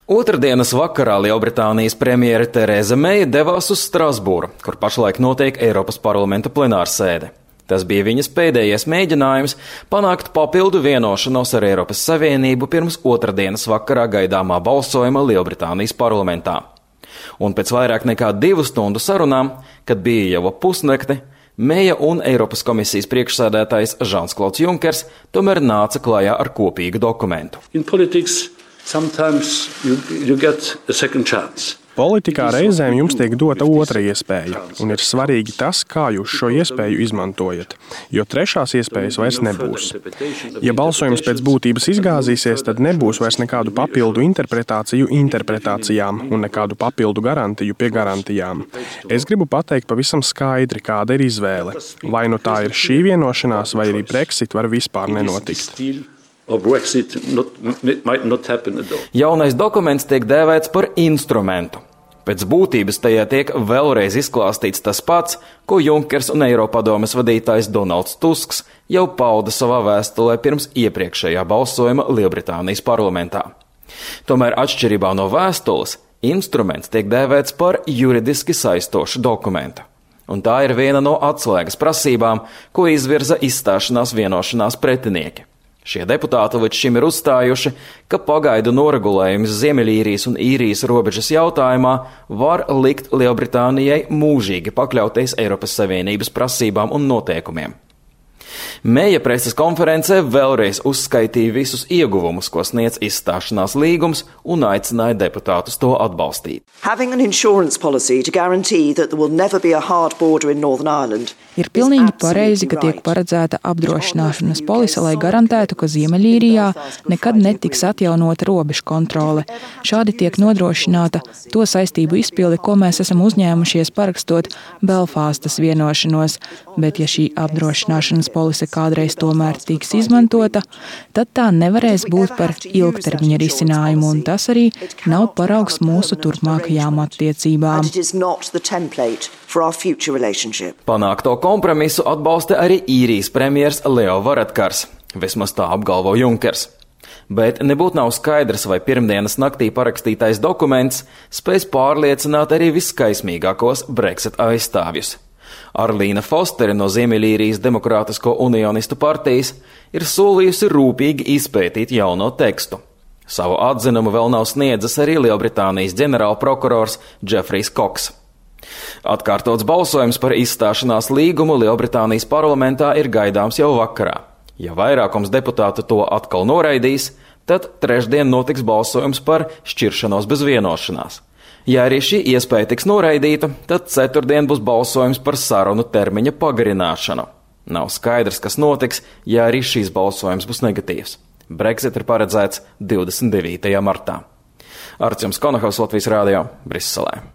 Otrdienas vakarā Lielbritānijas premjere Tereza Meija devās uz Strasbūru, kur pašlaik notiek Eiropas parlamenta plenārsēde. Tas bija viņas pēdējais mēģinājums panākt papildu vienošanos ar Eiropas Savienību pirms otrdienas vakarā gaidāmā balsojuma Lielbritānijas parlamentā. Un pēc vairāk nekā 2 stundu sarunām, kad bija jau pusnakti, Meija un Eiropas komisijas priekšsēdētājs Žans-Klauds Junkers tomēr nāca klajā ar kopīgu dokumentu. Politikā reizēm jums tiek dota otra iespēja, un ir svarīgi tas, kā jūs šo iespēju izmantojat, jo trešās iespējas vairs nebūs. Ja balsojums pēc būtības izgāzīsies, tad nebūs vairs nekādu papildu interpretāciju interpretācijām un nekādu papildu garantiju pie garantijām. Es gribu pateikt pavisam skaidri, kāda ir izvēle. Vai nu tā ir šī vienošanās, vai arī Brexit var vispār nenotikt. Jaunais dokuments tiek dēvēts par instrumentu. Pēc būtības tajā tiek vēlreiz izklāstīts tas pats, ko Junkers un Eiropadomes vadītājs Donalds Tusks jau pauda savā vēstulē pirms iepriekšējā balsojuma Lielbritānijas parlamentā. Tomēr atšķirībā no vēstules, instruments tiek dēvēts par juridiski saistošu dokumentu. Un tā ir viena no atslēgas prasībām, ko izvirza izstāšanās vienošanās pretinieki. Šie deputāti līdz šim ir uzstājuši, ka pagaidu noregulējums Ziemeļīrijas un Īrijas robežas jautājumā var likt Lielbritānijai mūžīgi pakļauties Eiropas Savienības prasībām un noteikumiem. Meija preses konferencē vēlreiz uzskaitīja visus ieguvumus, ko sniedz izstāšanās līgums, un aicināja deputātus to atbalstīt. Ir pilnīgi pareizi, ka tiek paredzēta apdrošināšanas polise, lai garantētu, ka Ziemeļīrijā nekad netiks atjaunota robežu kontrole. Šādi tiek nodrošināta to saistību izpilde, ko mēs esam uzņēmušies parakstot Belfāstas vienošanos, bet ja šī apdrošināšanas polise kādreiz tomēr tiks izmantota, tad tā nevarēs būt par ilgtermiņa risinājumu, un tas arī nav paraugs mūsu turpmākajām attiecībām. Panākto kompromisu atbalsta arī Īrijas premjers Leo Varadkars, vismaz tā apgalvo Junkers. Bet nebūtu nav skaidrs, vai pirmdienas naktī parakstītais dokuments spēs pārliecināt arī viskaismīgākos Brexit aizstāvjus. Arlīna Fostere no Ziemeļīrijas Demokrātisko unionistu partijas ir solījusi rūpīgi izpētīt jauno tekstu. Savu atzinumu vēl nav sniedzis arī Lielbritānijas ģenerālprokurors Džefrijs Koks. Atkārtots balsojums par izstāšanās līgumu Lielbritānijas parlamentā ir gaidāms jau vakarā. Ja vairākums deputātu to atkal noraidīs, tad trešdien notiks balsojums par šķiršanos bez vienošanās. Ja arī šī iespēja tiks noraidīta, tad ceturtdien būs balsojums par sarunu termiņa pagarināšanu. Nav skaidrs, kas notiks, ja arī šīs balsojums būs negatīvs. Brexit ir paredzēts 29. martā. Artjums Konahaus, Latvijas Rādio, Briselē.